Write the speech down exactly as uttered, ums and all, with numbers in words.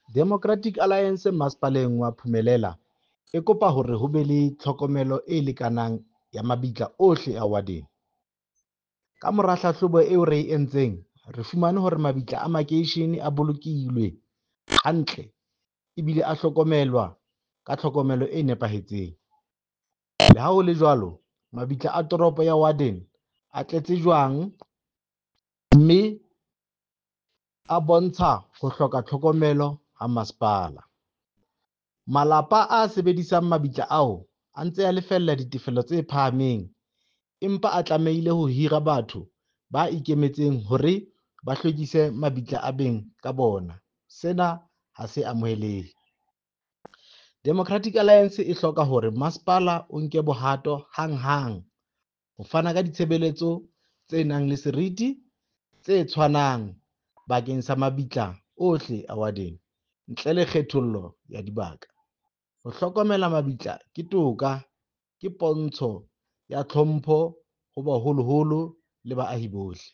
Democratic Alliance masepaleng wa Phumelela e kopa hore ho be le tlhokomelo e lekanang ya mabitla ohle a Warden. Ka mora hlahlobo eo re e entseng, re fumane hore mabitla a makeishene a bolokilwe hantle ebile a hlokomelwa ka tlhokomelo e nepahetseng. Le ha ho le jwalo, mabitla a toropo ya Warden a tletse jwang mme a bontsha ho hloka tlhokomelo ha masepala. Malapa a sebedisang mabitla ao a ntse a lefella ditefello tse phahameng, empa a tlamehile ho hira batho ba ikemetseng hore ba hlwekise mabitla a beng ka bona. Sena ha se amohelehe. Democratic Alliance e hloka hore masepala o nke bohato hanghang ho fana ka ditshebeletso tse nang le seriti tse tshwanang bakeng sa mabitla ohle a Warden ntle le kgethollo ya dibaka. Ho hlokomela mabitla ke toka, ke pontsho ya tlhompho ho baholoholo le baahi bohle.